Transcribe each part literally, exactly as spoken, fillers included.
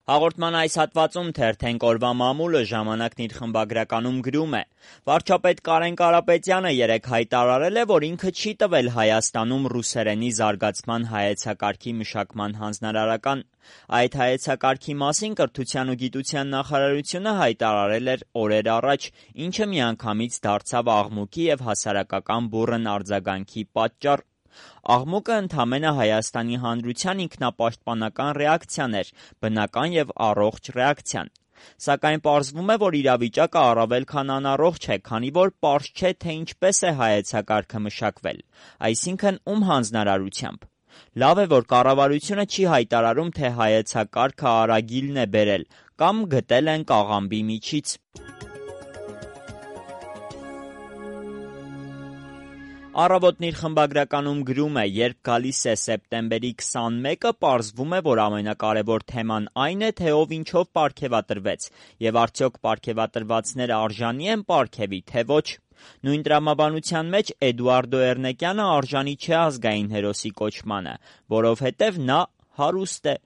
Հաղորդման այս հատվածում թերթենք օրվա մամուլը ժամանակն իր խմբագրականում գրում է. վարչապետ Կարեն Կարապետյանը երեկ հայտարարել է, որ ինքը չի տվել Հայաստանում ռուսերենի զարգացման հայեցակարգի մշակման հանձնարարական։ Այդ հայեցակարգի մասին Կրթության ու գիտության նախարարությունը հայտարարել էր օրեր առաջ, ինչը միանգամից դարձավ աղմուկի և հասարակական բուռն արձագանքի պատճառ։ Աղմուկը ընդամենը Հայաստանի հանրության ինքնապաշտպանական ռեակցիան էր, բնական և առողջ ռեակցիան։ Սակայն պարզվում է, որ իրավիճակը առավել քան անառողջ է, քանի որ պարզ չէ, թե ինչպես է հայեցակարգը մշակվել, այսինքն ում հանձնարարությամբ։ Լավ է, որ կառավարությունը չի հայտարարում, թե հայեցակարգը Արագիլն է բերել կամ գտել են կաղամբի միջից։ Առավոտն իր խմբագրականում գրում է. երբ գալիս է սեպտեմբերի քսանմեկը, պարզվում է, որ ամենակարևոր թեման այն է, թե ով ինչով պարգևատրվեց, և արդյոք պարգևատրվածները արժանի են պարգևի, թե ոչ։ Նույն տրամաբանության մեջ Էդուարդո Էրնեկյանը արժանի չէ ազգային հերոսի կոչմանը, որովհետև նա հարուստ է։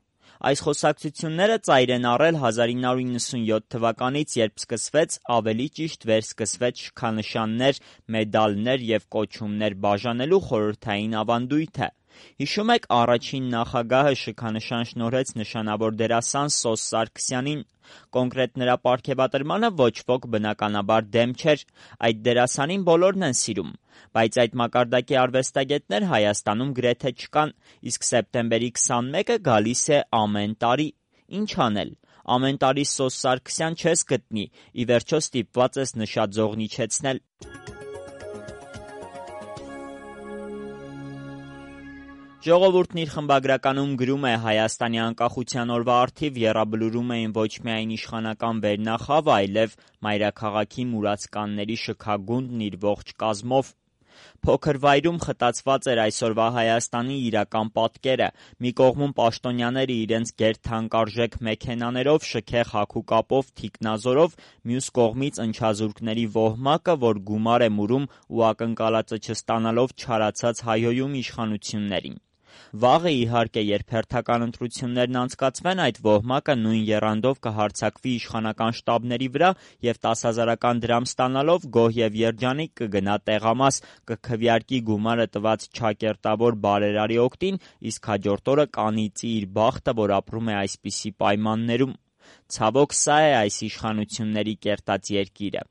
Այս խոսակցությունները ծայր են առել հազար ինը հարյուր նվաթ թվականից, երբ սկսվեց, ավելի ճիշտ վերսկսվեց շքանշաններ, մեդալներ և կոչումներ բաժանելու խորհրդային ավանդույթը։ Հիշում եք, առաջին նախագահը շքանշան շնորհեց նշանավոր դերասան Սոս Սարգսյանին։ Կոնկրետ նրա պարգևատրմանը ոչ ոք բնականաբար դեմ չէր։ Այդ դերասանին բոլորն են սիրում։ Բայց այդ մակարդակի արվեստագետներ Հայաստանում գրեթե չկան, իսկ սեպտեմբերի քսանմեկը գալիս է ամեն տարի։ Ինչ անել։ Ամեն տարի Սոս Սարգսյան չես գտնի, ի վերջո ստիպված ես նշաձողն իջեցնել։ Ժողովուրդն իր խմբագրականում գրում է. Հայաստանի անկախության օրվա առթիվ եռաբլուրում էին ոչ միայն իշխանական վերնախավը, այլև մայրաքաղաքի մուրացկանների շքագունդն իր ողջ կազմով։ Փոքր վայրում խտացված էր այսօրվա Հայաստանի իրական պատկերը։ Մի կողմում պաշտոնյաները իրենց գերթանկարժեք մեքենաներով, շքեղ հագուկապով, թիկնազորով, մյուս կողմից ընչազուրկների ոհմակը, որ գումար է մուրում ու ակնկալածը չստանալով չարացած հայհոյում իշխանություններին։ Վաղը, իհարկե, երբ հերթական ընտրություններն անցկացվեն, այդ ոհմակը նույն եռանդով կհարձակվի իշխանական շտաբների վրա և տասհազարական դրամ ստանալով գոհ և երջանիկ կգնա տեղամաս, կքվեարկի գումարը տված չակերտավոր բարերարի օգտին, իսկ հաջորդ օրը կանիծի իր բախտը, որ ապրում է այսպիսի պայմաններում։ Ցավոք, սա է այս իշխանությունների կերտած երկիրը։